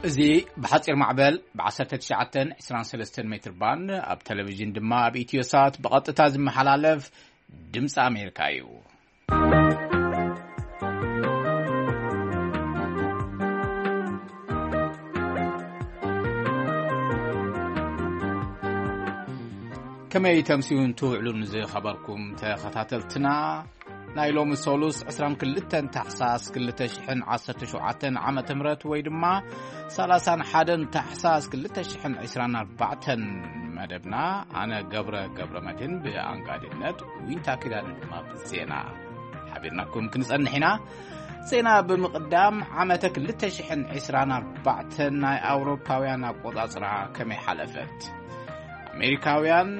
እዚ ብሓጺር ማዕበል ብ19 23 ሜትር ባንድ፣ ኣብ ቴሌቪዥን ድማ ኣብ ኢትዮሳት ብቐጥታ ዝመሓላለፍ ድምፂ ኣሜሪካ እዩ። ከመይ ተምሲውን ትውዕሉን ዝኸበርኩም ተኸታተልትና፣ ናይ ሎሚ ሰሉስ 22 ታሕሳስ 2017 ዓመተ ምህረት፣ ወይ ድማ 31 ታሕሳስ 2024 መደብና፣ ኣነ ገብረ ገብረ መድህን ብኣንጋድነት፣ ዊንታ ኪዳነ ድማ ብዜና ሓቢርናኩም ክንጸንሕ ኢና። ዜና ብምቕዳም፣ ዓመተ 2024 ናይ ኣውሮፓውያን ኣቆጻጽራ ከመይ ሓለፈት? ኣሜሪካውያን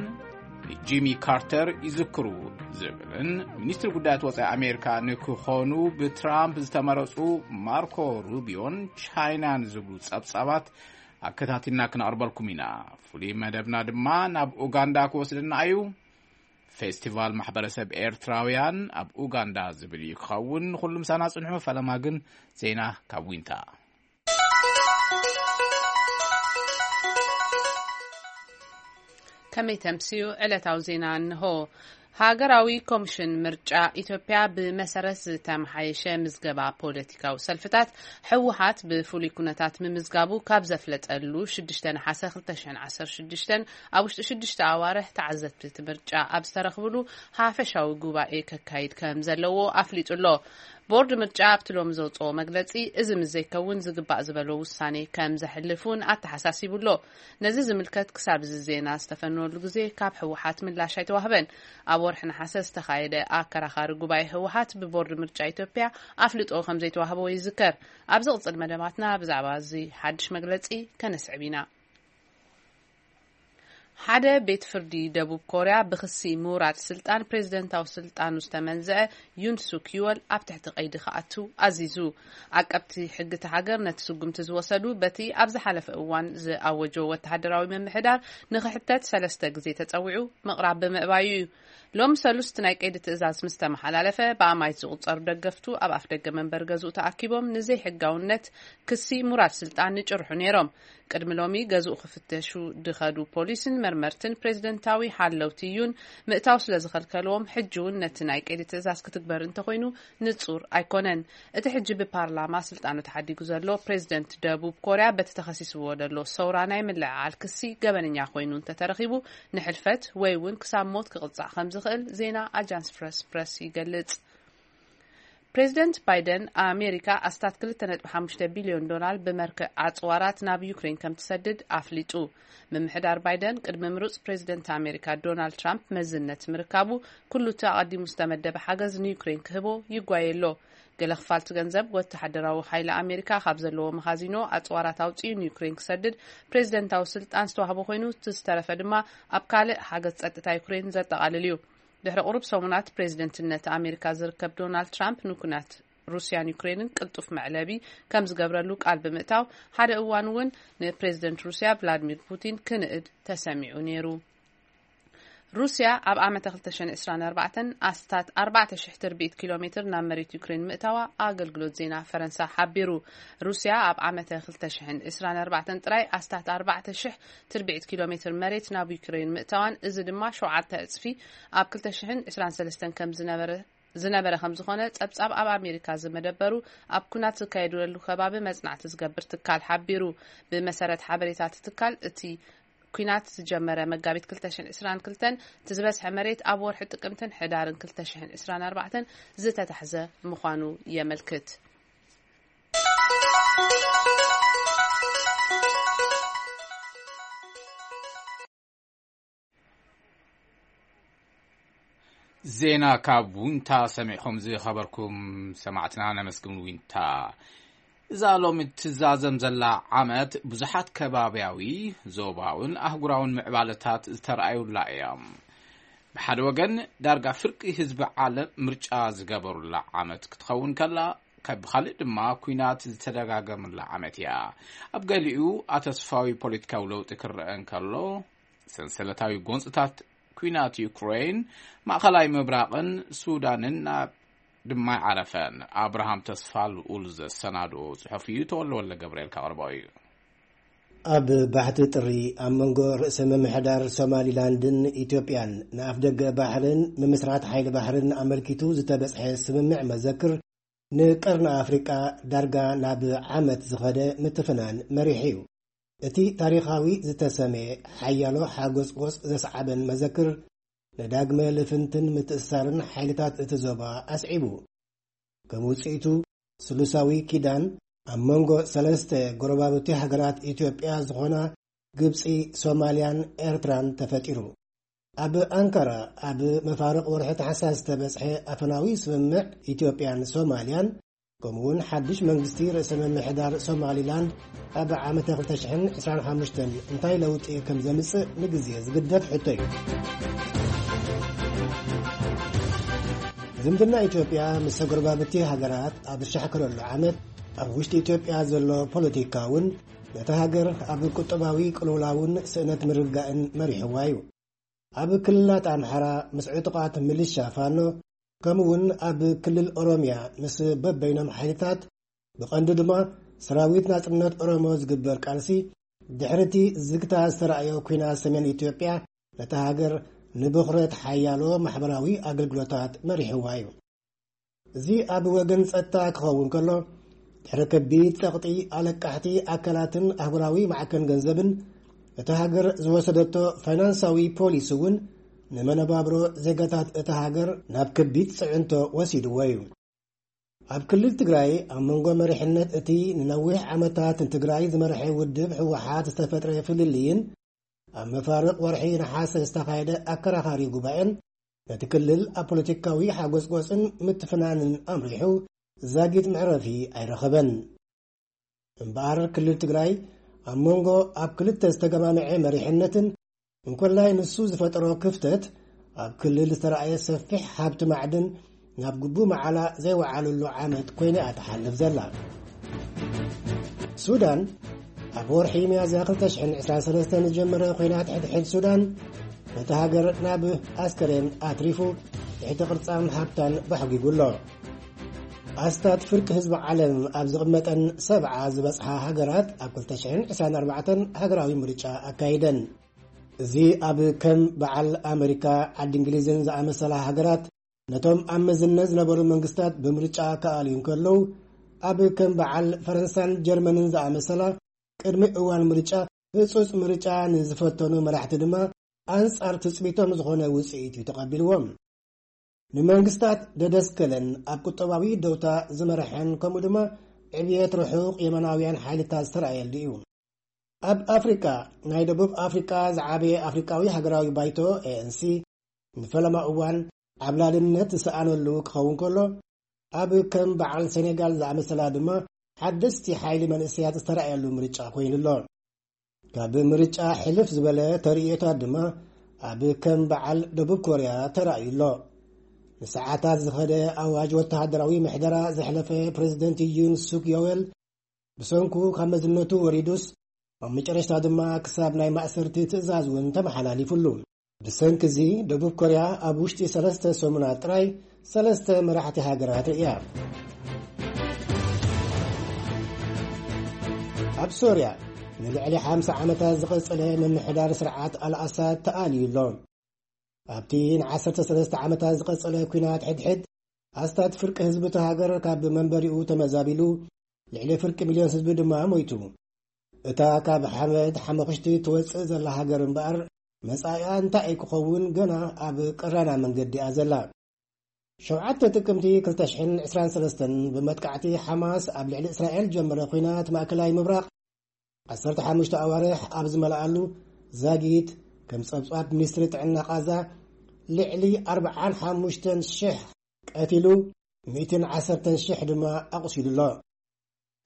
ንጂሚ ካርተር ይዝክሩ ዝብልን ሚኒስትሪ ጉዳያት ወጻኢ ኣሜሪካ ንክኾኑ ብትራምፕ ዝተመረጹ ማርኮ ሩቢዮን ቻይናን ዝብሉ ጸብጻባት ኣከታቲልና ክነቕርበልኩም ኢና። ፍሉይ መደብና ድማ ናብ ኡጋንዳ ክወስደና እዩ። ፌስቲቫል ማሕበረሰብ ኤርትራውያን ኣብ ኡጋንዳ ዝብል እዩ ክኸውን። ንኹሉ ምሳና ጽንሑ። ፈለማ ግን ዜና ካብ ዊንታ። ከመይ ተምስዩ? ዕለታዊ ዜና እንሆ። ሃገራዊ ኮሚሽን ምርጫ ኢትዮጵያ ብመሰረት ዝተመሓየሸ ምዝገባ ፖለቲካዊ ሰልፍታት፣ ህወሓት ብፍሉይ ኩነታት ምምዝጋቡ ካብ ዘፍለጠሉ 6 ነሓሰ 2016 ኣብ ውሽጢ ሽዱሽተ ኣዋርሕ ተዓዘብቲ እቲ ምርጫ ኣብ ዝተረኽብሉ ሓፈሻዊ ጉባኤ ከካይድ ከም ዘለዎ ኣፍሊጡ ኣሎ። ቦርድ ምርጫ ኣብቲ ሎሚ ዘውፅኦ መግለፂ፣ እዚ ምስ ዘይከውን ዝግባእ ዝበሎ ውሳኔ ከም ዘሕልፍ እውን ኣተሓሳሲቡ ኣሎ። ነዚ ዝምልከት ክሳብ እዚ ዜና ዝተፈነወሉ ግዜ ካብ ህወሓት ምላሽ ኣይተዋህበን። ኣብ ወርሒ ነሓሰ ዝተኻየደ ኣከራኻሪ ጉባኤ ህወሓት ብቦርድ ምርጫ ኢትዮጵያ ኣፍልጦ ከም ዘይተዋህቦ ይዝከር። ኣብ ዝቕጽል መደባትና ብዛዕባ እዚ ሓድሽ መግለጺ ከነስዕብ ኢና። ሓደ ቤት ፍርዲ ደቡብ ኮርያ ብክሲ ምውራድ ስልጣን ፕሬዝደንታዊ ስልጣኑ ዝተመንዘዐ ዩን ሱክ ዩወል ኣብ ትሕቲ ቀይዲ ክኣቱ ኣዚዙ። ዓቀብቲ ሕጊ እታ ሃገር ነቲ ስጉምቲ ዝወሰዱ፣ በቲ ኣብ ዝሓለፈ እዋን ዝኣወጆ ወተሃደራዊ ምምሕዳር ንክሕተት ሰለስተ ግዜ ተጸዊዑ ምቕራብ ብምእባዩ እዩ። ሎሚ ሰሉስ እቲ ናይ ቀይዲ ትእዛዝ ምስ ተመሓላለፈ፣ ብኣማይት ዝቑጸሩ ደገፍቱ ኣብ ኣፍ ደገ መንበሪ ገዝኡ ተኣኪቦም ንዘይሕጋውነት ክሲ ምውራድ ስልጣን ይጭርሑ ነይሮም። ቅድሚ ሎሚ ገዝኡ ክፍተሹ ድኸዱ ፖሊስን መርመርትን ፕሬዝደንታዊ ሓለውቲ ዩን ምእታው ስለ ዝኸልከልዎም፣ ሕጂ እውን ነቲ ናይ ቀይዲ ትእዛዝ ክትግበር እንተኾይኑ ንጹር ኣይኮነን። እቲ ሕጂ ብፓርላማ ስልጣኑ ተሓዲጉ ዘሎ ፕሬዝደንት ደቡብ ኮርያ፣ በቲ ተኸሲስዎ ዘሎ ሰውራ ናይ ምልዕዓል ክሲ ገበነኛ ኮይኑ እንተተረኺቡ፣ ንሕልፈት ወይ እውን ክሳብ ሞት ክቕጻዕ ከም ዝኽእል ዜና ኣጃንስ ፍረስ ፕረስ ይገልጽ። ፕሬዝደንት ባይደን፣ ኣሜሪካ ኣስታት 2.5 ቢልዮን ዶላር ብመርክዕ ኣጽዋራት ናብ ዩክሬን ከም ትሰድድ ኣፍሊጡ። ምምሕዳር ባይደን፣ ቅድሚ ምሩጽ ፕሬዝደንት ኣሜሪካ ዶናልድ ትራምፕ መዝነት ምርካቡ፣ ኩሉ እቲ ኣቐዲሙ ዝተመደበ ሓገዝ ንዩክሬን ክህቦ ይጓየ ኣሎ። ገለ ክፋልቲ ገንዘብ ወተሃደራዊ ሓይሊ ኣሜሪካ ካብ ዘለዎ መኻዚኖ ኣጽዋራት ኣውጺኡ ንዩክሬን ክሰድድ ፕሬዝደንታዊ ስልጣን ዝተዋህቦ ኮይኑ፣ እቲ ዝተረፈ ድማ ኣብ ካልእ ሓገዝ ጸጥታ ዩክሬን ዘጠቓልል እዩ። ድሕሪ ቁሩብ ሰሙናት ፕሬዝደንትነት ኣሜሪካ ዝርከብ ዶናልድ ትራምፕ፣ ንኩናት ሩስያን ዩክሬንን ቅልጡፍ መዕለቢ ከም ዝገብረሉ ቃል ብምእታው፣ ሓደ እዋን እውን ንፕሬዝደንት ሩስያ ቭላድሚር ፑቲን ክንእድ ተሰሚዑ ነይሩ። ሩስያ ኣብ ዓመተ 2024 ኣስታት 4,000 ትርቢት ኪሎ ሜትር ናብ መሬት ዩክሬን ምእታዋ ኣገልግሎት ዜና ፈረንሳ ሓቢሩ። ሩስያ ኣብ ዓመተ 2024 ጥራይ ኣስታት 4,000 ትርቢት ኪሎ ሜትር መሬት ናብ ዩክሬን ምእታዋን፣ እዚ ድማ ሸውዓተ ዕጽፊ ኣብ 2023 ከም ዝነበረ ዝነበረ ከም ዝኾነ ጸብጻብ ኣብ ኣሜሪካ ዝመደበሩ ኣብ ኩናት ዝካየደሉ ከባቢ መጽናዕቲ ዝገብር ትካል ሓቢሩ። ብመሰረት ሓበሬታ እቲ ትካል፣ እቲ ኩናት ዝጀመረ መጋቢት 2022፣ እቲ ዝበዝሐ መሬት ኣብ ወርሒ ጥቅምትን ሕዳርን 2024 ዝተታሕዘ ምዃኑ የመልክት። ዜና ካብ ዊንታ ሰሚዕኹም ዝኸበርኩም ሰማዕትና ነመስግን። ዊንታ፣ እዛ ሎሚ ትዛዘም ዘላ ዓመት ብዙሓት ከባብያዊ፣ ዞባውን ኣህጉራውን ምዕባለታት ዝተረኣዩላ እያ። ብሓደ ወገን፣ ዳርጋ ፍርቂ ህዝቢ ዓለም ምርጫ ዝገበሩላ ዓመት ክትኸውን ከላ፣ ካብ ብኻልእ ድማ ኲናት ዝተደጋገመላ ዓመት እያ። ኣብ ገሊኡ ኣተስፋዊ ፖለቲካዊ ለውጢ ክረአ እንከሎ፣ ሰንሰለታዊ ጎንጽታት ኲናት ዩክሬን፣ ማእከላይ ምብራቕን ሱዳንን ናብ ድማ ይዓረፈን። ኣብርሃም ተስፋ ልኡል ዘሰናድኦ ጽሑፍ እዩ፣ ተወልደ ወልደ ገብርኤል ካቕርቦ እዩ። ኣብ ባሕቲ ጥሪ ኣብ መንጎ ርእሰ ምምሕዳር ሶማሊላንድን ኢትዮጵያን ንኣፍደገ ባሕርን ምምስራት ሓይሊ ባሕርን ኣመልኪቱ ዝተበጽሐ ስምምዕ መዘክር ንቀርኒ ኣፍሪቃ ዳርጋ ናብ ዓመት ዝኸደ ምትፍናን መሪሕ እዩ። እቲ ታሪኻዊ ዝተሰመየ ሓያሎ ሓጎስጎስ ዘስዓበን መዘክር ንዳግመ ልፍንትን ምትእስሳርን ሓይልታት እቲ ዞባ ኣስዒቡ። ከም ውጽኢቱ ስሉሳዊ ኪዳን ኣብ መንጎ ሰለስተ ጎረባብቲ ሃገራት ኢትዮጵያ ዝኾና ግብጺ፣ ሶማልያን ኤርትራን ተፈጢሩ። ኣብ ኣንካራ ኣብ መፋርቕ ወርሒ ታሕሳስ ዝተበጽሐ ኣፈናዊ ስምምዕ ኢትዮጵያን ሶማልያን ከምኡውን ሓድሽ መንግስቲ ርእሰ ምምሕዳር ሶማሊላንድ ኣብ ዓመተ ክልተ ሽሕን ዕስራን ሓሙሽተን እንታይ ለውጢ ከም ዘምጽእ ንግዜ ዝግደፍ ሕቶ እዩ። ዝምድና ኢትዮጵያ ምስ ተጎረባብቲ ሃገራት ኣብ ዝሻሕከረሉ ዓመት ኣብ ውሽጢ ኢትዮጵያ ዘሎ ፖለቲካ እውን ነታ ሃገር ኣብ ቁጠባዊ ቅልውላውን ስእነት ምርግጋእን መሪሕዋ እዩ። ኣብ ክልላት ኣምሓራ ምስ ዕጡቓት ሚሊሻ ፋኖ ከምኡውን ኣብ ክልል ኦሮምያ ምስ በበይኖም ሓይልታት ብቐንዱ ድማ ሰራዊት ናጽነት ኦሮሞ ዝግበር ቃልሲ ድሕሪ እቲ ዝግታ ዝተራእዮ ኲናት ሰሜን ኢትዮጵያ ነታ ሃገር ንብኹረት ሓያሎ ማሕበራዊ ኣገልግሎታት መሪሕዋ እዩ። እዚ ኣብ ወገን ጸጥታ ክኸውን ከሎ ድሕሪ ከቢድ ጸቕጢ ኣለቃሕቲ ኣካላትን ኣህጉራዊ ማዕከን ገንዘብን እታ ሃገር ዝወሰደቶ ፋይናንሳዊ ፖሊሲ እውን ንመነባብሮ ዜጋታት እታ ሃገር ናብ ከቢድ ጽዕንቶ ወሲድዎ እዩ። ኣብ ክልል ትግራይ ኣብ መንጎ መሪሕነት እቲ ንነዊሕ ዓመታት ንትግራይ ዝመርሐ ውድብ ህወሓት ዝተፈጥረ ፍልልይን ኣብ መፋርቕ ወርሒ ነሓሰ ዝተኻየደ ኣከራኻሪ ጉባኤን ነቲ ክልል ኣብ ፖለቲካዊ ሓጎስጎስን ምትፍናንን ኣምሪሑ ዛጊት መዕረፊ ኣይረኸበን። እምበኣር ክልል ትግራይ ኣብ መንጎ ኣብ ክልተ ዝተገማምዐ መሪሕነትን እንኮላይ ንሱ ዝፈጠሮ ክፍተት ኣብ ክልል ዝተረኣየ ሰፊሕ ሃብቲ ማዕድን ናብ ግቡ መዓላ ዘይወዓለሉ ዓመት ኮይና እያ ትሓልፍ ዘላ። ሱዳን ኣብ ወርሒ ሚያዝያ ክልተ ሽሕን ዕስራን ሰለስተን ዝጀመረ ኲናት ሕድሕድ ሱዳን ነቲ ሃገር ናብ ኣስከሬን ኣትሪፉ ትሕቲ ቅርጻን ሃብታን ባሕጒጉ ኣሎ። ኣስታት ፍርቂ ህዝቢ ዓለም ኣብ ዝቕመጠን ሰብዓ ዝበጽሓ ሃገራት ኣብ ክልተ ሽሕን ዕስራን ኣርባዕተን ሃገራዊ ምርጫ ኣካይደን። እዚ ኣብ ከም በዓል ኣመሪካ፣ ዓዲ እንግሊዝን ዝኣመሰላ ሃገራት ነቶም ኣብ መዝነት ዝነበሩ መንግስታት ብምርጫ ክኣልዩ እንከለዉ፣ ኣብ ከም በዓል ፈረንሳን ጀርመንን ዝኣመሰላ ቅድሚ እዋን ምርጫ ህጹጽ ምርጫ ንዝፈተኑ መራሕቲ ድማ ኣንጻር ትጽቢቶም ዝኾነ ውጽኢት እዩ ተቐቢልዎም። ንመንግስታት ደደስከለን ኣብ ቁጠባዊ ደውታ ዝመርሐን ከምኡ ድማ ዕብየት ርሑቕ የመናውያን ሓይልታት ዝተረኣየሉ እዩ። ኣብ ኣፍሪቃ ናይ ደቡብ ኣፍሪቃ ዝዓበየ ኣፍሪቃዊ ሃገራዊ ባይቶ ኤ ኤን ሲ ንፈለማ እዋን ዓብላልነት ዝሰኣነሉ ክኸውን ከሎ፣ ኣብ ከም በዓል ሴኔጋል ዝኣመሰላ ድማ ሓደስቲ ሓይሊ መንእሰያት ዝተረኣየሉ ምርጫ ኮይኑ ኣሎ። ካብ ምርጫ ሕልፍ ዝበለ ተርእዮታት ድማ ኣብ ከም በዓል ደቡብ ኮርያ ተራእዩ ኣሎ። ንሰዓታት ዝኸደ ኣዋጅ ወተሃደራዊ ምሕደራ ዘሕለፈ ፕሬዚደንት ዩን ሱክ ዮዌል ብሰንኩ ካብ መዝነቱ ወሪዱስ፣ ኣብ መጨረሽታ ድማ ክሳብ ናይ ማእሰርቲ ትእዛዝ እውን ተመሓላሊፉሉ። ብሰንኪ እዚ ደቡብ ኮርያ ኣብ ውሽጢ ሰለስተ ሰሙናት ጥራይ ሰለስተ መራሕቲ ሃገራት ርእያ። ኣብ ሶርያ ንልዕሊ ሓምሳ ዓመታት ዝቐጸለ ምምሕዳር ስርዓት ኣልኣሳድ ተኣልዩ ኣሎ። ኣብቲ ንዓሰርተ ሰለስተ ዓመታት ዝቐጸለ ኲናት ሕድሕድ ኣስታት ፍርቂ ህዝቢ እቲ ሃገር ካብ መንበሪኡ ተመዛቢሉ፣ ልዕሊ ፍርቂ ሚልዮን ህዝቢ ድማ ሞይቱ። እታ ካብ ሓመድ ሓመኽሽቲ ትወጽእ ዘላ ሃገር እምበኣር መጻኢኣ እንታይ ክኸውን ገና ኣብ ቀራና መንገዲ እያ ዘላ። ሸውዓተ ጥቅምቲ ክልተ ሽሕን ዕስራን ሰለስተን ብመጥቃዕቲ ሓማስ ኣብ ልዕሊ እስራኤል ጀመረ ኲናት ማእከላይ ምብራቕ ዓሰርተ ሓሙሽተ ኣዋርሕ ኣብ ዝመልኣሉ ዛጊት ከም ጸብጻብ ሚኒስትሪ ጥዕና ቓዛ ልዕሊ ኣርብዓን ሓሙሽተን ሽሕ ቀቲሉ፣ ሚእትን ዓሰርተን ሽሕ ድማ ኣቑሲሉ ኣሎ።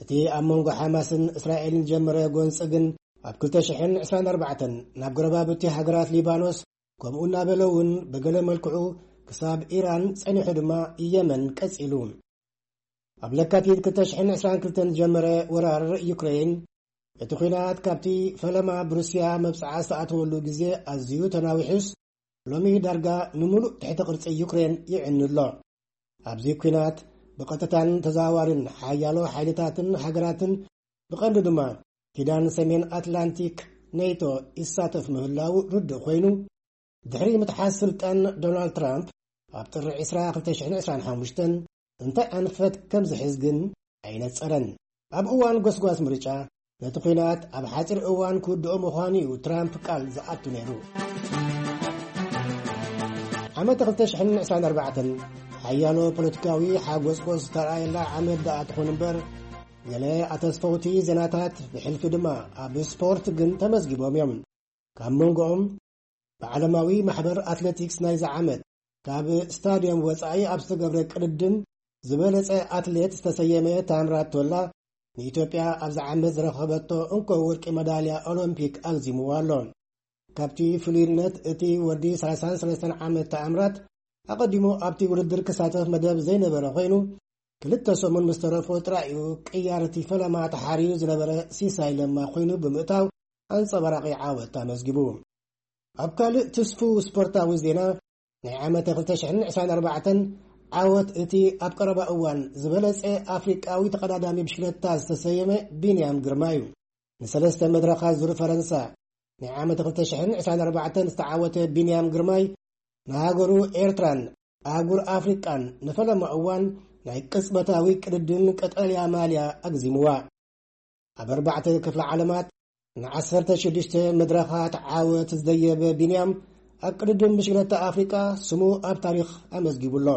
እቲ ኣብ መንጎ ሓማስን እስራኤልን ጀመረ ጎንጺ ግን ኣብ ክልተ ሽሕን ዕስራን ኣርባዕተን ናብ ጎረባብቲ ሃገራት ሊባኖስ ከምኡ እናበለ እውን ብገለ መልክዑ ክሳብ ኢራን ጸኒሑ ድማ የመን ቀጺሉ። ኣብ ለካቲት ክልተ ሽሕን ዕስራን ክልተን ዝጀመረ ወራር ዩክሬን እቲ ኲናት ካብቲ ፈለማ ብሩስያ መብጽዓ ዝተኣተወሉ ግዜ ኣዝዩ ተናዊሑስ ሎሚ ዳርጋ ንምሉእ ትሕቲ ቅርጺ ዩክሬን ይዕኑ ኣሎ። ኣብዚ ኲናት ብቐጥታን ተዘዋዋርን ሓያሎ ሓይልታትን ሃገራትን ብቐንዱ ድማ ኪዳን ሰሜን ኣትላንቲክ ኔቶ ይሳተፍ ምህላው ርዱእ ኮይኑ፣ ድሕሪ ምትሓዝ ስልጣን ዶናልድ ትራምፕ ኣብ ጥሪ ዕስራ ክልተ ሽሕን ዕስራን ሓሙሽተን እንታይ ኣንፈት ከም ዝሕዝ ግን ኣይነጸረን። ኣብ እዋን ጎስጓስ ምርጫ ነቲ ኲናት ኣብ ሓጺር እዋን ክውድኦ ምዃኑ እዩ ትራምፕ ቃል ዝኣቱ ነይሩ። ዓመት ክልተ ሽሕን ዕስራን ኣርባዕተን ሓያሎ ፖለቲካዊ ሓጎስጎስ ዝተረኣየላ ዓመት ደኣ ትኹን እምበር፣ ገለ ኣተስፈውቲ ዜናታት ብሕልፊ ድማ ኣብ ስፖርት ግን ተመዝጊቦም እዮም። ካብ መንጎኦም ብዓለማዊ ማሕበር ኣትሌቲክስ ናይዚ ዓመት ካብ ስታድዮም ወጻኢ ኣብ ዝተገብረ ቅድድም ዝበለጸ ኣትሌት ዝተሰየመ ታምራት ቶላ ንኢትዮጵያ ኣብዚ ዓመት ዝረኸበቶ እንኮ ወርቂ መዳልያ ኦሎምፒክ ኣግዚምዋ ኣሎ። ካብቲ ፍሉይነት እቲ ወዲ ሰላሳን ሰለስተን ዓመት ታምራት ኣቐዲሙ ኣብቲ ውድድር ክሳተፍ መደብ ዘይነበረ ኮይኑ፣ ክልተ ሰሙን ምስ ተረፎ ጥራይ እዩ ቅያር እቲ ፈለማ ተሓርዩ ዝነበረ ሲሳይ ለማ ኮይኑ ብምእታው ኣንጸባራቒ ዓወት ኣመዝጊቡ። ኣብ ካልእ ትስፉው ስፖርታዊ ዜና፣ ናይ ዓመተ ክልተ ሽሕን ዕስራን ኣርባዕተን ዓወት እቲ ኣብ ቀረባ እዋን ዝበለጸ ኣፍሪቃዊ ተቐዳዳሚ ብሽክለታ ዝተሰየመ ቢንያም ግርማ እዩ። ንሰለስተ መድረኻት ዙር ፈረንሳ ናይ ዓመተ ክልተ ሽሕን ዕስራን ኣርባዕተን ዝተዓወተ ቢንያም ግርማይ ንሃገሩ ኤርትራን ኣህጉር ኣፍሪቃን ንፈለማ እዋን ናይ ቅጽበታዊ ቅድድም ቀጠልያ ማልያ ኣግዚምዋ። ኣብ ኣርባዕተ ክፍለ ዓለማት ንዓሰርተ ሽዱሽተ መድረኻት ዓወት ዝደየበ ቢንያም ኣብ ቅድድም ብሽክለታ ኣፍሪቃ ስሙ ኣብ ታሪኽ ኣመዝጊቡ ኣሎ።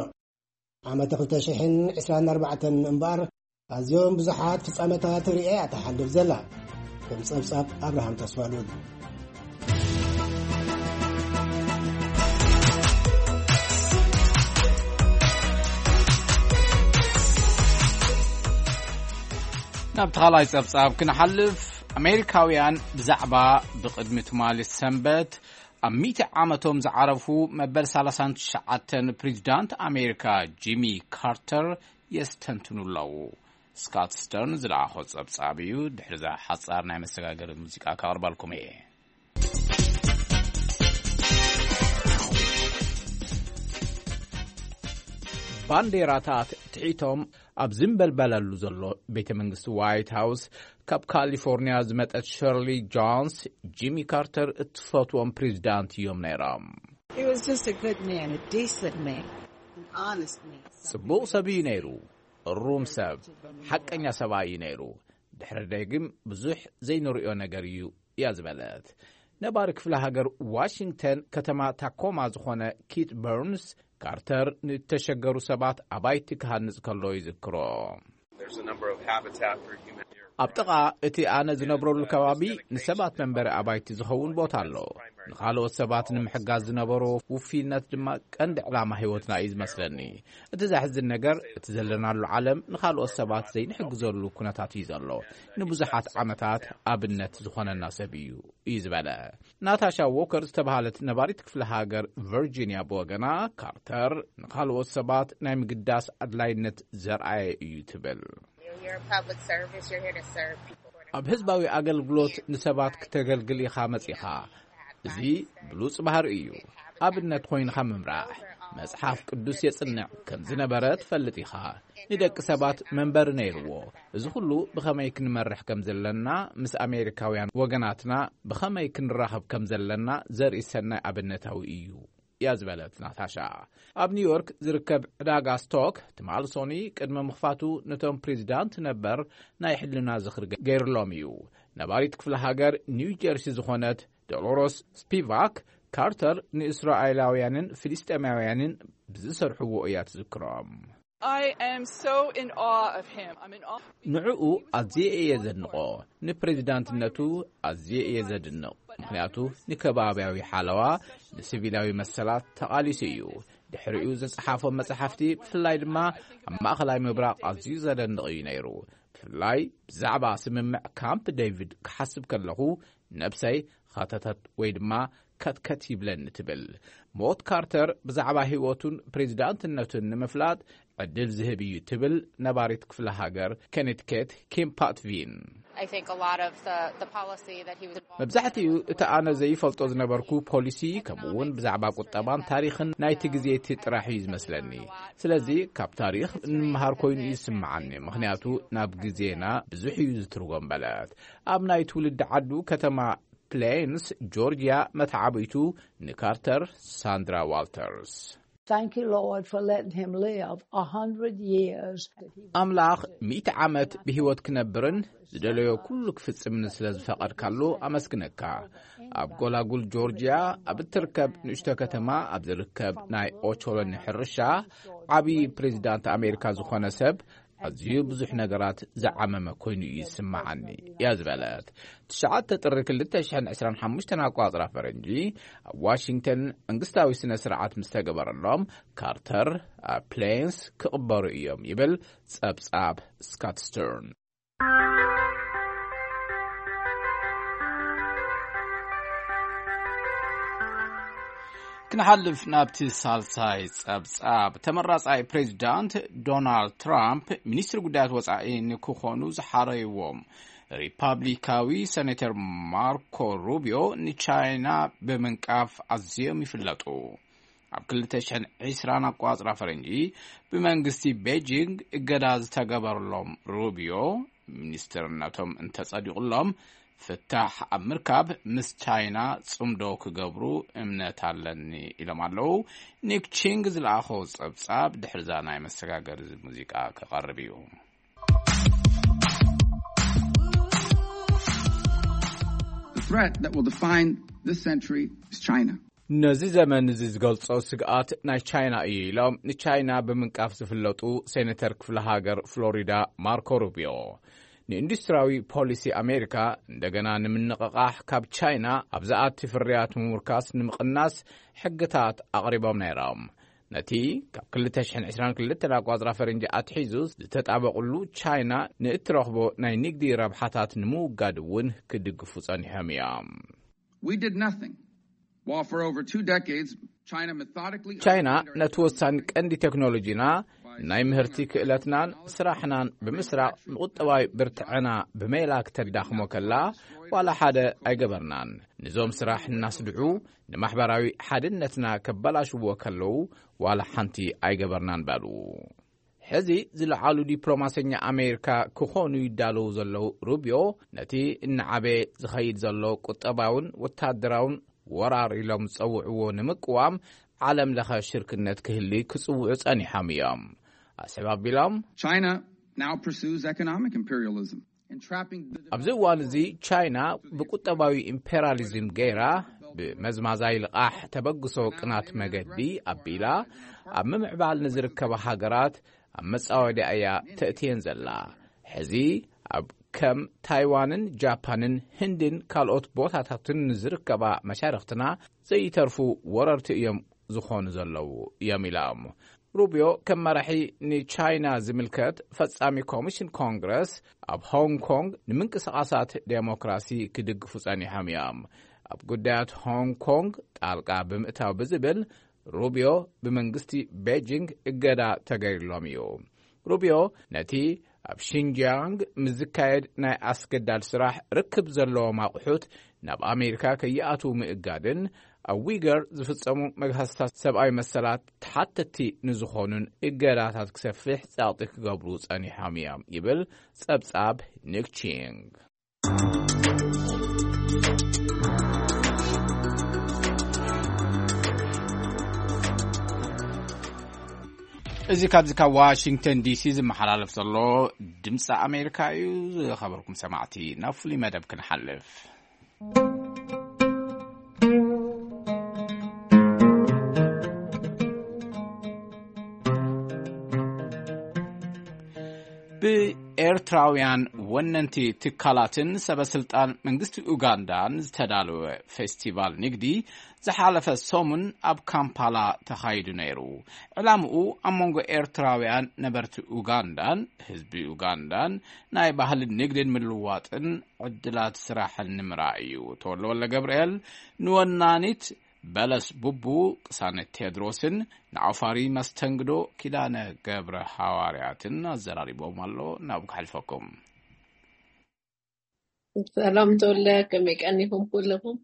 ዓመት ክልተ ሽሕን ዕስራን ኣርባዕተን እምበኣር ኣዝዮም ብዙሓት ፍጻመታት ርእያ እያ ትሓልፍ ዘላ። ከም ጸብጻብ ኣብርሃም ተስፋሉል። ናብ ተኻላይ ጸብጻብ ክንሓልፍ፣ ኣሜሪካውያን ብዛዕባ ብቕድሚ ትማሊ ሰንበት ኣብ ሚእቲ ዓመቶም ዝዓረፉ መበል ሰላሳን ትሽዓተን ፕሬዚዳንት ኣሜሪካ ጂሚ ካርተር የስተንትኑ ኣለዉ። ስካት ስተርን ዝለኣኾ ጸብጻብ እዩ። ድሕሪ እዛ ሓጻር ናይ መሰጋገሪ ሙዚቃ ከቕርበልኩም እየ። ባንዴራታት ትሒቶም ኣብ ዝንበልበለሉ ዘሎ ቤተ መንግስቲ ዋይት ሃውስ፣ ካብ ካሊፎርኒያ ዝመጸት ሸርሊ ጆንስ፣ ጂሚ ካርተር እትፈትዎም ፕሬዚዳንት እዮም ነይሮም። He was just a good man, a decent man, an honest man. ጽቡቕ ሰብ እዩ ነይሩ፣ እሩም ሰብ፣ ሓቀኛ ሰብኣይ እዩ ነይሩ። ድሕሪ ደጊም ብዙሕ ዘይንርእዮ ነገር እዩ እያ ዝበለት። ነባሪ ክፍለ ሃገር ዋሽንግተን ከተማ ታኮማ ዝኾነ ኪት በርንስ፣ ካርተር ንእተሸገሩ ሰባት ኣባይቲ ክሃንጽ ከሎ ይዝክሮ። ኣብ ጥቓ እቲ ኣነ ዝነብረሉ ከባቢ ንሰባት መንበሪ ኣባይቲ ዝኸውን ቦታ ኣሎ። ንኻልኦት ሰባት ንምሕጋዝ ዝነበሮ ውፍይነት ድማ ቀንዲ ዕላማ ህይወትና እዩ ዝመስለኒ። እቲ ዘሕዝን ነገር፣ እቲ ዘለናሉ ዓለም ንኻልኦት ሰባት ዘይንሕግዘሉ ኩነታት እዩ ዘሎ። ንብዙሓት ዓመታት ኣብነት ዝኾነና ሰብ እዩ፣ እዩ ዝበለ። ናታሻ ዎከር ዝተባህለት ነባሪት ክፍለ ሃገር ቨርጂኒያ ብወገና፣ ካርተር ንኻልኦት ሰባት ናይ ምግዳስ ኣድላይነት ዘርኣየ እዩ ትብል። You're a public service, you're here to serve people. ኣብ ህዝባዊ ኣገልግሎት ንሰባት ክተገልግል ኢኻ መጺኻ። እዚ ብሉጽ ባህሪ እዩ። ኣብነት ኮይንኻ ምምራሕ፣ መጽሓፍ ቅዱስ የጽንዕ ከም ዝነበረ ትፈልጥ ኢኻ። ንደቂ ሰባት መንበሪ ነይርዎ። እዚ ኩሉ ብኸመይ ክንመርሕ ከም ዘለና፣ ምስ ኣሜሪካውያን ወገናትና ብኸመይ ክንራኸብ ከም ዘለና ዘርኢ ሰናይ ኣብነታዊ እዩ እያ ዝበለት ናታሻ። ኣብ ኒውዮርክ ዝርከብ ዕዳጋ ስቶክ ትማሊ ሶኒ ቅድሚ ምኽፋቱ ነቶም ፕሬዚዳንት ነበር ናይ ሕልና ዝኽሪ ገይርሎም እዩ። ነባሪት ክፍለ ሃገር ኒው ጀርሲ ዝኾነት ዶሎሮስ ስፒቫክ፣ ካርተር ንእስራኤላውያንን ፍልስጤማውያንን ብዝሰርሕዎ እያ ትዝክሮም። I am so in awe of him. I'm in awe. ንዕኡ ኣዝየ እየ ዘድንቖ። ንፕሬዚዳንትነቱ ኣዝየ እየ ዘድንቕ። ምኽንያቱ ንከባብያዊ ሓለዋ፣ ንሲቪላዊ መሰላት ተቓሊሱ እዩ። ድሕሪኡ ዝጸሓፎም መጻሕፍቲ፣ ብፍላይ ድማ ኣብ ማእከላይ ምብራቕ ኣዝዩ ዘደንቕ እዩ ነይሩ። ብፍላይ ብዛዕባ ስምምዕ ካምፕ ዴቪድ ክሓስብ ከለኹ፣ ነብሰይ ኸተተት ወይ ድማ ከትከት ይብለኒ ትብል። ሞት ካርተር ብዛዕባ ህይወቱን ፕሬዚዳንትነቱን ንምፍላጥ ዕድል ዝህብ እዩ ትብል ነባሪት ክፍለ ሃገር ኮነቲከት ኪም ፓትቪን። I think a lot of the, the policy that he was involved መብዛሕትኡ እቲ ኣነ ዘይፈልጦ ዝነበርኩ ፖሊሲ፣ ከምኡ እውን ብዛዕባ ቁጠባን ታሪኽን ናይቲ ግዜ እቲ ጥራሕ እዩ ዝመስለኒ። ስለዚ ካብ ታሪኽ እንመሃር ኮይኑ እዩ ዝስምዓኒ፣ ምኽንያቱ ናብ ግዜና ብዙሕ እዩ ዝትርጎም በለት። ኣብ ናይ ትውልዲ ዓዱ ከተማ ፕሌንስ ጆርጅያ መተዓብይቱ ንካርተር ሳንድራ ዋልተርስ። Thank you, Lord, for letting him live a hundred years. ኣምላኽ ሚእቲ ዓመት ብህይወት ክነብርን ዝደለዮ ኩሉ ክፍጽምን ስለ ዝፈቐድካሉ ኣመስግነካ። ኣብ ጎላጉል ጆርጅያ ኣብ እትርከብ ንእሽቶ ከተማ ኣብ ዝርከብ ናይ ኦቾሎኒ ሕርሻ ዓብዪ ፕሬዚዳንት ኣሜሪካ ዝኾነ ሰብ ኣዝዩ ብዙሕ ነገራት ዝዓመመ ኮይኑ እዩ ዝስምዓኒ እያ ዝበለት። ትሽዓተ ጥሪ ክልተ ሽሕን ዕስራን ሓሙሽተን ኣቋጽራ ፈረንጂ ኣብ ዋሽንግተን መንግስታዊ ስነ ስርዓት ምስ ተገበረሎም ካርተር ኣብ ፕሌንስ ክቕበሩ እዮም ይብል ጸብጻብ ስካት ስተርን። ክንሓልፍ ናብቲ ሳልሳይ ጸብጻብ። ተመራጻይ ፕሬዚዳንት ዶናልድ ትራምፕ ሚኒስትሪ ጉዳያት ወጻኢ ንክኾኑ ዝሓረይዎም ሪፓብሊካዊ ሰኔተር ማርኮ ሩቢዮ ንቻይና ብምንቃፍ ኣዝዮም ይፍለጡ። ኣብ ክልተ ሽሕን ዕስራን ኣቋጽራ ፈረንጂ ብመንግስቲ ቤጂንግ እገዳ ዝተገበረሎም ሩቢዮ፣ ሚኒስትርነቶም እንተጸዲቑሎም ፍታሕ ኣብ ምርካብ ምስ ቻይና ጽምዶ ክገብሩ እምነት ኣለኒ ኢሎም ኣለዉ። ኒክ ቺንግ ዝለኣኾ ጸብጻብ ድሕርዛ ናይ መሰጋገሪ ሙዚቃ ክቐርብ እዩ። The threat that will define this century is China. ነዚ ዘመን እዚ ዝገልጾ ስግኣት ናይ ቻይና እዩ ኢሎም ንቻይና ብምንቃፍ ዝፍለጡ ሴኔተር ክፍለ ሃገር ፍሎሪዳ ማርኮ ሩቢዮ፣ ንኢንዱስትሪያዊ ፖሊሲ ኣሜሪካ እንደገና ንምንቕቓሕ ካብ ቻይና ኣብ ዝኣቲ ፍርያት ምምርካስ ንምቕናስ ሕግታት ኣቕሪቦም ነይሮም። ነቲ ካብ ክልተ ሽሕን ዕስራን ክልተን ኣቋጽራ ፈረንጂ ኣትሒዙ ዝተጣበቕሉ ቻይና ንእትረኽቦ ናይ ንግዲ ረብሓታት ንምውጋድ እውን ክድግፉ ጸኒሖም እዮም። We did nothing while for over two decades China methodically ቻይና ነቲ ወሳኒ ቀንዲ ቴክኖሎጂና ናይ ምህርቲ ክእለትናን ስራሕናን ብምስራቕ ንቁጠባዊ ብርትዐና ብሜላ ክተዳኽሞ ከላ ዋላ ሓደ ኣይገበርናን። ንዞም ስራሕ እናስድዑ ንማሕበራዊ ሓድነትና ከበላሽዎ ከለዉ ዋላ ሓንቲ ኣይገበርናን በሉ። ሕዚ ዝለዓሉ ዲፕሎማሰኛ ኣሜሪካ ክኾኑ ይዳለዉ ዘለዉ ሩቢዮ ነቲ እናዓበየ ዝኸይድ ዘሎ ቁጠባውን ወታደራውን ወራር ኢሎም ዝጸውዕዎ ንምቅዋም ዓለም ለኸ ሽርክነት ክህሊ ክጽውዑ ጸኒሖም እዮም። ኣስዕብ ኣቢሎም China now pursues economic imperialism, entrapping the ኣብዚ እዋን እዚ ቻይና ብቁጠባዊ ኢምፔሪያሊዝም ገይራ ብመዝማዛይ ልቓሕ ተበግሶ ቅናት መገዲ ኣቢላ ኣብ ምምዕባል ንዝርከባ ሃገራት ኣብ መጻወድያ እያ ተእትየን ዘላ። ሕዚ ኣብ ከም ታይዋንን ጃፓንን ህንድን ካልኦት ቦታታትን ንዝርከባ መሻርኽትና ዘይተርፉ ወረርቲ እዮም ዝኾኑ ዘለዉ እዮም ኢሎም። ሩቢዮ ከም መራሒ ንቻይና ዝምልከት ፈጻሚ ኮሚሽን ኮንግረስ ኣብ ሆንግ ኮንግ ንምንቅስቓሳት ዴሞክራሲ ክድግፉ ጸኒሖም እዮም። ኣብ ጉዳያት ሆንግ ኮንግ ጣልቃ ብምእታው ብዝብል ሩቢዮ ብመንግስቲ ቤጂንግ እገዳ ተገይርሎም እዩ። ሩቢዮ ነቲ ኣብ ሺንጂያንግ ምስ ዝካየድ ናይ ኣስገዳድ ስራሕ ርክብ ዘለዎም ኣቑሑት ናብ ኣሜሪካ ከይኣትዉ ምእጋድን ኣብ ዊገር ዝፍጸሙ መግሃስታት ሰብኣዊ መሰላት ተሓተቲ ንዝኾኑን እገዳታት ክሰፍሕ ጸቕጢ ክገብሩ ጸኒሖም እዮም ይብል ጸብጻብ ኒክ ቺንግ። እዚ ካብዚ ካብ ዋሽንግተን ዲሲ ዝመሓላለፍ ዘሎ ድምፂ ኣሜሪካ እዩ። ዝኸበርኩም ሰማዕቲ፣ ናብ ፍሉይ መደብ ክንሓልፍ። ብኤርትራውያን ወነንቲ ትካላትን ሰበስልጣን መንግስቲ ኡጋንዳን ዝተዳለወ ፌስቲቫል ንግዲ ዝሓለፈ ሰሙን ኣብ ካምፓላ ተኻይዱ ነይሩ። ዕላምኡ ኣብ መንጎ ኤርትራውያን ነበርቲ ኡጋንዳን ህዝቢ ኡጋንዳን ናይ ባህልን ንግድን ምልውዋጥን ዕድላት ስራሕን ንምርኣይ እዩ። ተወልደ ወልደ ገብርኤል ንወናኒት በለስ ቡቡ፣ ቅሳነት ቴድሮስን ንዓፋሪ መስተንግዶ ኪዳነ ገብረ ሃዋርያትን ኣዘራሪቦም ኣሎ። ናብ ክሕልፈኩም። ሰላም ተወለ፣ ከመይ ቀኒኹም ኩለኹም?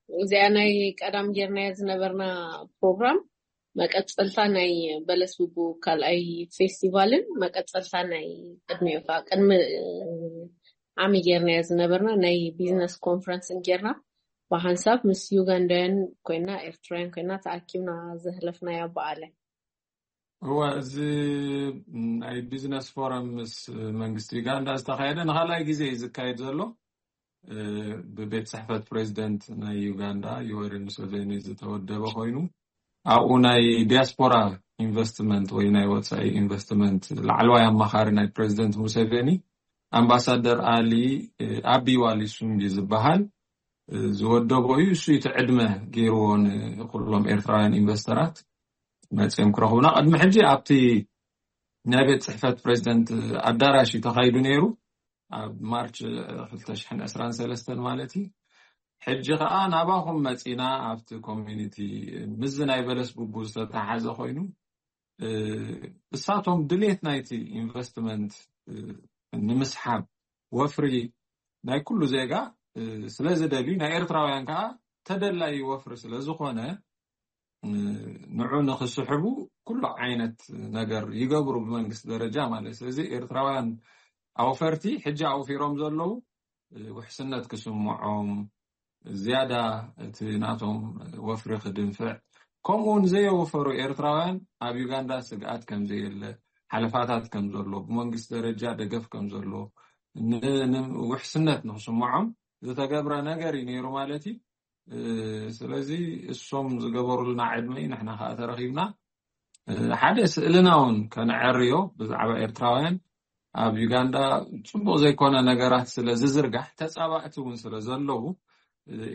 እዚኣ ናይ ቀዳም ጌርናያ ዝነበርና ፕሮግራም መቀጸልታ ናይ በለስ ቡቡ ካልኣይ ፌስቲቫልን መቀጸልታ ናይ ቅድሚኡ ከዓ ቅድሚ ዓሚ ጌርናያ ዝነበርና ናይ ቢዝነስ ኮንፈረንስን ጌርና ብሓንሳብ ምስ ዩጋንዳውያን ኮይና ኤርትራውያን ኮይና ተኣኪብና ዘህለፍናያ በዓል። እወ፣ እዚ ናይ ቢዝነስ ፎረም ምስ መንግስቲ ዩጋንዳ ዝተኻየደ ንኻልኣይ ግዜ እዩ ዝካየድ ዘሎ። ብቤት ጽሕፈት ፕሬዚደንት ናይ ዩጋንዳ ዮወሪ ሙሴቬኒ ዝተወደበ ኮይኑ ኣብኡ ናይ ዲያስፖራ ኢንቨስትመንት ወይ ናይ ወፃኢ ኢንቨስትመንት ላዕለዋይ ኣማኻሪ ናይ ፕሬዚደንት ሙሴቬኒ ኣምባሳደር ኣሊ ኣቢ ዋሊ ሱንጊ ዝበሃል ዝወደቦ እዩ። እሱ እቲ ዕድመ ገይርዎ ንኩሎም ኤርትራውያን ኢንቨስተራት መፅኦም ክረኽቡና። ቅድሚ ሕጂ ኣብቲ ናይ ቤት ፅሕፈት ፕሬዚደንት ኣዳራሽ እዩ ተኻይዱ ነይሩ ኣብ ማርች ክልተ ሽሕን ዕስራን ሰለስተን ማለት እዩ። ሕጂ ከዓ ናባኹም መፂና ኣብቲ ኮሚኒቲ ምስዚ ናይ በለስ ቡቡ ዝተተሓዘ ኮይኑ እሳቶም ድሌት ናይቲ ኢንቨስትመንት ንምስሓብ ወፍሪ ናይ ኩሉ ዜጋ ስለ ዝደልዩ ናይ ኤርትራውያን ከዓ ተደላዩ ወፍሪ ስለ ዝኾነ ንዑ ንክስሕቡ ኩሉ ዓይነት ነገር ይገብሩ ብመንግስቲ ደረጃ ማለት። ስለዚ ኤርትራውያን ኣውፈርቲ ሕጂ ኣውፊሮም ዘለዉ ውሕስነት ክስምዖም ዝያዳ እቲ ናቶም ወፍሪ ክድንፍዕ ከምኡ እውን ዘየወፈሩ ኤርትራውያን ኣብ ዩጋንዳ ስግኣት ከምዘየለ ሓለፋታት ከምዘሎ ብመንግስቲ ደረጃ ደገፍ ከምዘሎ ውሕስነት ንክስምዖም ዝተገብረ ነገር እዩ ነይሩ ማለት እዩ። ስለዚ እሶም ዝገበሩልና ዕድመ እዩ ንሕና ከዓ ተረኪብና ሓደ ስእልና እውን ከነዐርዮ ብዛዕባ ኤርትራውያን ኣብ ዩጋንዳ ፅቡቅ ዘይኮነ ነገራት ስለ ዝዝርጋሕ ተፃባእቲ እውን ስለ ዘለዉ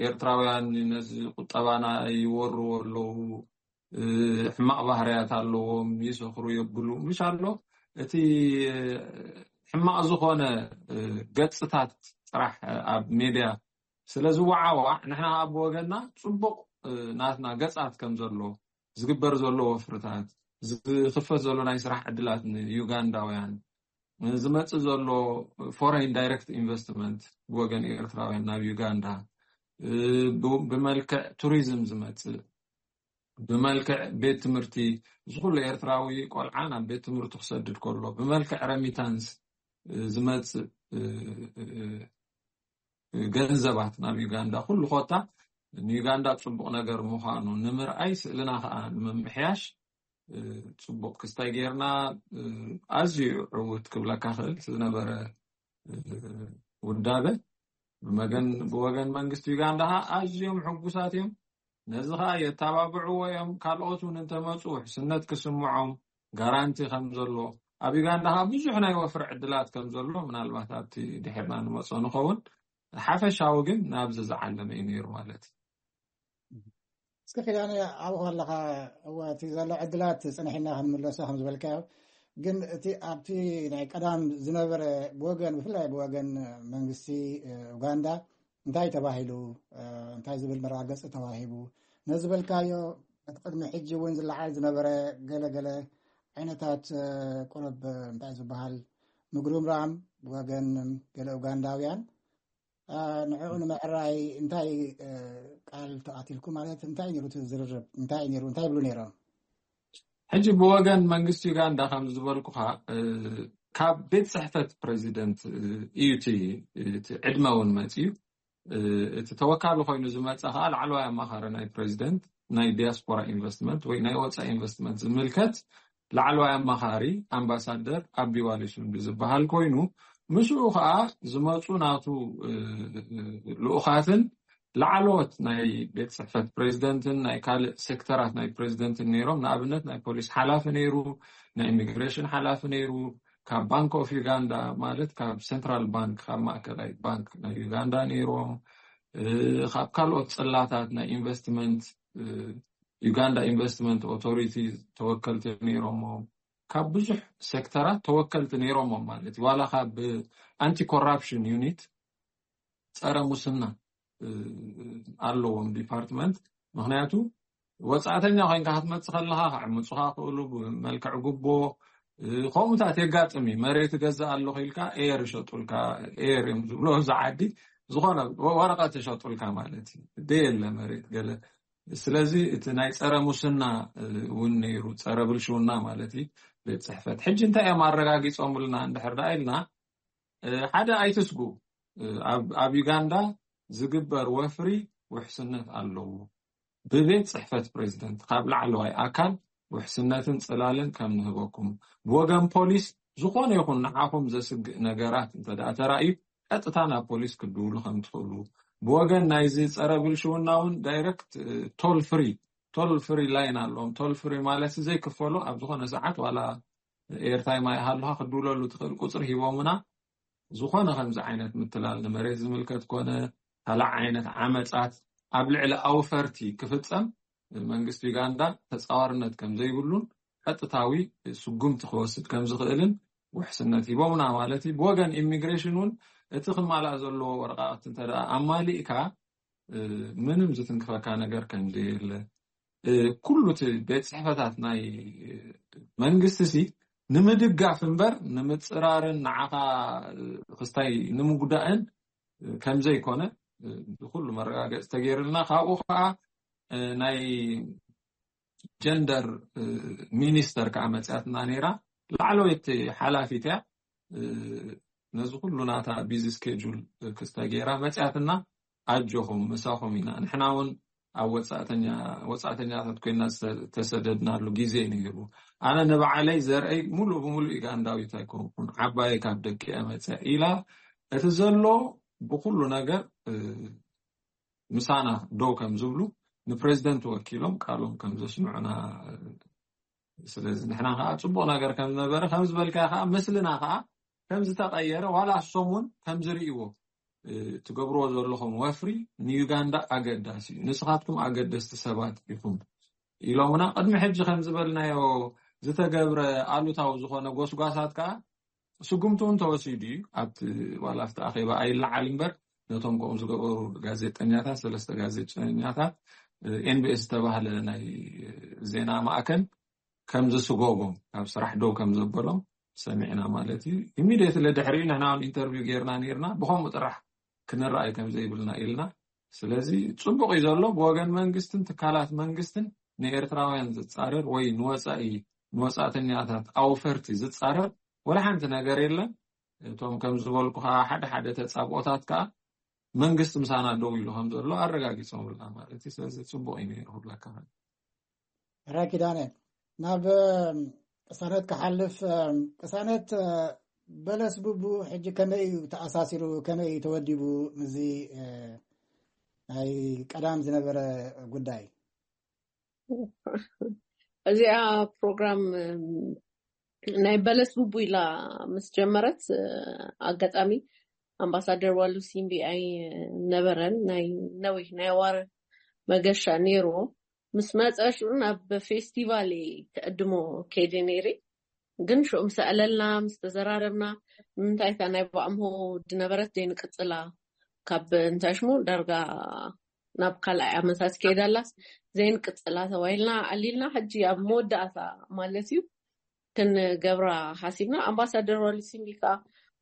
ኤርትራውያን ነዚ ቁጠባና ይወርዎ ኣለዉ። ሕማቅ ባህርያት ኣለዎም፣ ይሰኽሩ የብሉ ምሽ ኣሎ። እቲ ሕማቅ ዝኾነ ገፅታት ጥራሕ ኣብ ሜድያ ስለ ዝወዓዋዕ ንሕና ከዓ ብወገንና ፅቡቅ ናትና ገፃት ከም ዘሎ ዝግበር ዘሎ ወፍርታት ዝኽፈት ዘሎ ናይ ስራሕ ዕድላት ንዩጋንዳውያን ዝመፅእ ዘሎ ፎሬን ዳይሬክት ኢንቨስትመንት ብወገን ኤርትራውያን ናብ ዩጋንዳ ብመልክዕ ቱሪዝም ዝመፅእ ብመልክዕ ቤት ትምህርቲ ዝኩሉ ኤርትራዊ ቆልዓ ናብ ቤት ትምህርቱ ክሰድድ ከሎ ብመልክዕ ረሚታንስ ዝመፅእ ገንዘባት ናብ ዩጋንዳ ኩሉ ኮታ ንዩጋንዳ ፅቡቅ ነገር ምዃኑ ንምርኣይ ስእልና ከዓ ንምምሕያሽ ፅቡቅ ክስታይ ጌርና ኣዝዩ ዕውት ክብለካ ክእል ዝነበረ ውዳበ ብመገን ብወገን መንግስቲ ዩጋንዳ ከዓ ኣዝዮም ሕጉሳት እዮም። ነዚ ከዓ የተባብዕዎ እዮም። ካልኦት እውን እንተመፁ ውሕስነት ክስምዖም ጋራንቲ ከም ዘሎ ኣብ ዩጋንዳ ከዓ ብዙሕ ናይ ወፍሪ ዕድላት ከም ዘሎ ምናልባት ኣብቲ ድሕርና ንመፆ ንኸውን ሓፈሻዊ ግን ናብዚ ዝዓለመ እዩ ነይሩ ማለት እዩ። እስከ ኪዳነ ኣብኡ ከለካ እወ እቲ ዘሎ ዕድላት ፅንሒና ክንምለሶ ከም ዝበልካዮ ግን እቲ ኣብቲ ናይ ቀዳም ዝነበረ ብወገን ብፍላይ ብወገን መንግስቲ ኡጋንዳ እንታይ ተባሂሉ እንታይ ዝብል መረጋገፂ ተዋሂቡ ነዚ ዝበልካዮ እቲ ቅድሚ ሕጂ እውን ዝለዓል ዝነበረ ገለገለ ዓይነታት ቁረብ እንታይ ዝበሃል ምግሩምራም ብወገን ገለ ኡጋንዳውያን ንዕኡ ንምዕራይ እንታይ ቃል ተኣቲልኩ ማለት እንታይ ነሩ ዝርርብ እንታይ ነሩ እንታይ ይብሉ ነይሮም? ሕጂ ብወገን መንግስቲ ዩጋንዳ ከም ዝበልኩኻ ካብ ቤት ፅሕፈት ፕሬዚደንት እዩ እቲ ዕድመ እውን መፅዩ እቲ ተወካሊ ኮይኑ ዝመፀ ከዓ ላዕለዋይ ኣማኻሪ ናይ ፕሬዚደንት ናይ ዲያስፖራ ኢንቨስትመንት ወይ ናይ ወፃኢ ኢንቨስትመንት ዝምልከት ላዕለዋይ ኣማኻሪ ኣምባሳደር ኣቢ ዋሊሱንዲ ዝበሃል ኮይኑ ምስኡ ከዓ ዝመፁ ናቱ ልኡኻትን ላዕለዎት ናይ ቤት ፅሕፈት ፕሬዚደንትን ናይ ካልእ ሴክተራት ናይ ፕሬዚደንትን ነይሮም። ንኣብነት ናይ ፖሊስ ሓላፊ ነይሩ፣ ናይ ኢሚግሬሽን ሓላፊ ነይሩ፣ ካብ ባንክ ኦፍ ዩጋንዳ ማለት ካብ ሴንትራል ባንክ ካብ ማእከላይ ባንክ ናይ ዩጋንዳ ነይሮም፣ ካብ ካልኦት ፅላታት ናይ ኢንቨስትመንት ዩጋንዳ ኢንቨስትመንት ኦቶሪቲ ተወከልቲ ነይሮሞ ካብ ብዙሕ ሴክተራት ተወከልቲ ነይሮሞም ማለት እዩ። ዋላ ካብ ኣንቲ ኮራፕሽን ዩኒት ፀረ ሙስና ኣለዎም ዲፓርትመንት ምክንያቱ ወፃእተኛ ኮይንካ ክትመፅእ ከለካ ክዕምፁካ ክእሉ ብመልክዕ ጉቦ፣ እ፣ ከምኡታት የጋጥም እዩ። መሬት እገዝእ ኣለኹ ኢልካ ኤር ይሸጡልካ፣ ኤር እዮም ዝብሎ ኣብዚ ዓዲ፣ ዝኾነ ወ- ወረቐት ይሸጡልካ ማለት እዩ። ደየለ መሬት ገለ። ስለዚ እቲ ናይ ፀረ ሙስና፣ እ፣ እውን ነይሩ፣ ፀረ ብልሽውና ማለት እዩ። ቤት ፅሕፈት ሕጂ እንታይ እዮም ኣረጋጊፆምልና እንድሕር ደኣ ኢልና፣ እ፣ ሓደ ኣይትስጉ። እ፣ ኣብ ኣብ ዩጋንዳ ዝግበር ወፍሪ ውሕስነት ኣለዎ። ብቤት ፅሕፈት ፕሬዚደንት ካብ ላዕለዋይ ኣካል ውሕስነትን ፅላልን ከም ንህበኩም፣ ብወገን ፖሊስ ዝኾነ ይኹን ንዓኹም ዘስግእ ነገራት እንተ ደኣ ተራእዩ ቀጥታ ናብ ፖሊስ ክትድውሉ ከም ትኽእሉ፣ ብወገን ናይዚ ፀረ ብልሽውና እውን ዳይረክት ቶል ፍሪ ቶል ፍሪ ላይን ኣለዎም። ቶል ፍሪ ማለት ዘይክፈሉ ኣብ ዝኾነ ሰዓት ዋላ ኤርታይም ኣይሃሉካ ክትድውለሉ ትኽእል ቁፅሪ ሂቦምና። ዝኾነ ከምዚ ዓይነት ምትላል ንመሬት ዝምልከት ኮነ ካልእ ዓይነት ዓመፃት ኣብ ልዕሊ ኣውፈርቲ ክፍፀም መንግስቲ ዩጋንዳ ተፃዋርነት ከም ዘይብሉን ቀጥታዊ ስጉምቲ ክወስድ ከም ዝኽእልን ውሕስነት ሂቦምና ማለት እዩ። ብወገን ኢሚግሬሽን እውን እቲ ክማላእ ዘለዎ ወረቃቅቲ እንተ ደኣ ኣማሊእካ፣ እ፣ ምንም ዝትንክፈካ ነገር ከም ዘየለ፣ እ፣ ኩሉ እቲ ቤት ፅሕፈታት ናይ፣ እ፣ መንግስቲ ሲ ንምድጋፍ እምበር ንምፅራርን ንዓኻ፣ እ፣ ክስታይ ንምጉዳእን፣ እ፣ ከም ዘይኮነ፣ እ፣ ብኩሉ መረጋገፂ ተገይርልና። ካብኡ ከዓ፣ እ፣ ናይ ጀንደር፣ እ፣ ሚኒስተር ከዓ መፅያትና ነይራ። ላዕለወይቲ ሓላፊት እያ። እ፣ ነዚ ኩሉ ናታ ቢዚ ስኬጁል ክስተ ገይራ መፅያትና። ኣጆኹም፣ ምሳኹም ኢና። ንሕና እውን ኣብ ወፃእተኛ-፣ ወፃእተኛታት ኮይና ዝተሰደድናሉ ግዜ ነይሩ። ኣነ ንባዕለይ ዘርአይ ሙሉእ ብሙሉእ ዩጋንዳዊት ኣይኮንኩን፣ ዓባየይ ካብ ደቂ እያ መፅያ ኢላ፣ እቲ ዘሎ ብኩሉ ነገር፣ እ፣ ምሳና ደው ከም ዝብሉ ንፕሬዚደንት ወኪሎም ቃሎም ከም ዘስምዑና። ስለዚ ንሕና ከዓ ፅቡቅ ነገር ከም ዝነበረ ከም ዝበልካ ከዓ ምስልና ከዓ ከም ዝተቀየረ ዋላ እሶም እውን ከም ዝርእይዎ፣ እ፣ ትገብርዎ ዘለኹም ወፍሪ ንዩጋንዳ ኣገዳሲ እዩ፣ ንስኻትኩም ኣገደስቲ ሰባት ኢኹም ኢሎምና። ቅድሚ ሕጂ ከም ዝበልናዮ ዝተገብረ ኣሉታዊ ዝኾነ ጎስጓሳት ከዓ ስጉምቲ እውን ተወሲዱ እዩ። ኣብቲ ዋላ ኣብቲ ኣኼባ ኣይለዓል እምበር ነቶም ከምኡ ዝገበሩ ጋዜጠኛታት፣ ሰለስተ ጋዜጠኛታት፣ እ፣ ኤን ቢ ኤስ ዝተባህለ ናይ ዜና ማእከል ከም ዝስጎጎም፣ ካብ ስራሕ ደው ከም ዘበሎም ሰሚዕና ማለት እዩ። ኢሚድየትሊ ድሕሪኡ ንሕና እውን ኢንተርቪው ጌርና ነይርና፣ ብኸምኡ ጥራሕ ክንረኣይ ከም ዘይብልና ኢልና። ስለዚ ጽቡቕ እዩ ዘሎ ብወገን መንግስትን ትካላት መንግስትን ንኤርትራውያን ዝጻረር ወይ ንወጻኢ፣ ንወጻእተኛታት ኣውፈርቲ ዝጻረር ወላ ሓንቲ ነገር የለን። እቶም ከም ዝበልኩኻ ሓደ ሓደ ተጻብኦታት ከኣ መንግስቲ ምሳና ደው ኢሉ ከም ዘሎ ኣረጋጊጾምልና ማለት እዩ። ስለዚ ጽቡቕ እዩ ነይሩ ኩሉ ኣካል። ሕራይ ኪዳነ፣ ናብ፣ እም፣ ቅሳነት ክሓልፍ፣ እም፣ ቅሳነት፣ እ፣ በለስ ቡቡ ሕጂ ከመይ እዩ ተኣሳሲሩ፣ ከመይ እዩ ተወዲቡ ምስዚ፣ እ፣ ናይ ቀዳም ዝነበረ ጉዳይ? እዚኣ ፕሮግራም፣ እም፣ ናይ በለስ ቡቡ ኢላ ምስ ጀመረት፣ እ፣ ኣጋጣሚ ኣምባሳደር ዋሉ ሲምቢ ኣይነበረን። ናይ ነዊሕ ናይ ዋር መገሻ ነይርዎ። ምስ መጸ ሽዑ ናብ ፌስቲቫል ክዕድሞ ከይደ ነይረ። ግን ሽዑ ምስ ኣዕለልና፣ ምስ ተዘራረብና፣ ንምንታይ እታ ናይ ባዕምሆ ድነበረት ዘይንቅጽላ፣ ካብ እንታይ ሽሙ ዳርጋ ናብ ካልኣይ ዓመታት ከይዳላስ ዘይንቅጽላ ተባሂልና፣ ኣዕሊልና። ሕጂ ኣብ መወዳእታ ማለት እዩ ክንገብራ ሓሲብና። ኣምባሳደር ዋሉ ሲምቢ ከኣ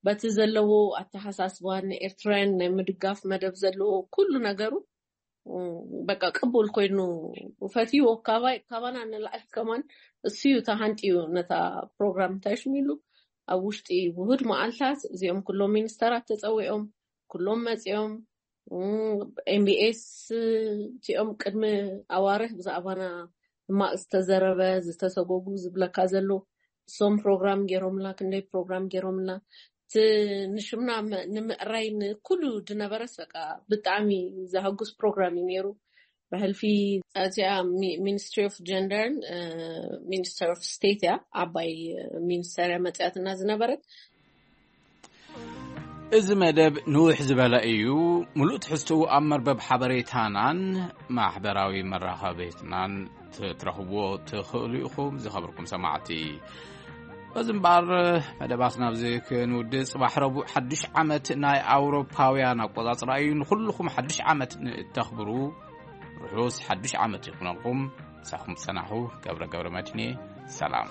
በቲ ዘለዎ ኣተሓሳስባ ንኤርትራውያን ናይ ምድጋፍ መደብ ዘለዎ ኩሉ ነገሩ፣ እም፣ በቃ ቅቡል ኮይኑ ፈትይዎ። ካባይ-፣ ካባና ንላዕሊ ከማን እሱ እዩ ተሃንጥዩ ነታ ፕሮግራም እንታይ ሽሙ ኢሉ ኣብ ውሽጢ ውሁድ መዓልታት እዚኦም ኩሎም ሚኒስተራት ተጸዊዖም፣ ኩሎም መጺኦም። እም፣ ኤም ቢ ኤስ እቲኦም ቅድሚ ኣዋርሕ ብዛዕባና ሕማቕ ዝተዘረበ፣ ዝተሰጎጉ ዝብለካ ዘሎ፣ እሶም ፕሮግራም ገይሮምልና፣ ክንደይ ፕሮግራም ገይሮምልና። እቲ ንሽምና መ-፣ ንምዕራይ ንኩሉ ድነበረስ በቃ ብጣዕሚ ዘሐጉስ ፕሮግራም እዩ ነይሩ። ብሕልፊ እዚኣ ሚ-፣ ሚኒስትሪ ኦፍ ጀንደርን፣ እ፣ ሚኒስተር ኦፍ ስቴት እያ፣ ዓባይ ሚኒስተር እያ መፅያትና ዝነበረት። እዚ መደብ ንውሕ ዝበለ እዩ። ምሉእ ትሕዝትኡ ኣብ መርበብ ሓበሬታናን ማሕበራዊ መራኸቢትናን ትረኽብዎ ትኽእሉ ኢኹም። ዝኸበርኩም ሰማዕቲ፣ በዚ እምበኣር መደባትና ኣብዚ ክንውድእ፣ ጽባሕ ረቡዕ ሓድሽ ዓመት ናይ ኣውሮፓውያን ኣቆጻጽራ እዩ። ንኹልኹም ሓድሽ ዓመት ንእተኽብሩ ርሑስ ሓዱሽ ዓመት ይኹነልኩም። ሳኹም ዝጸናሑ ገብረ ገብረ መድህኔ። ሰላም።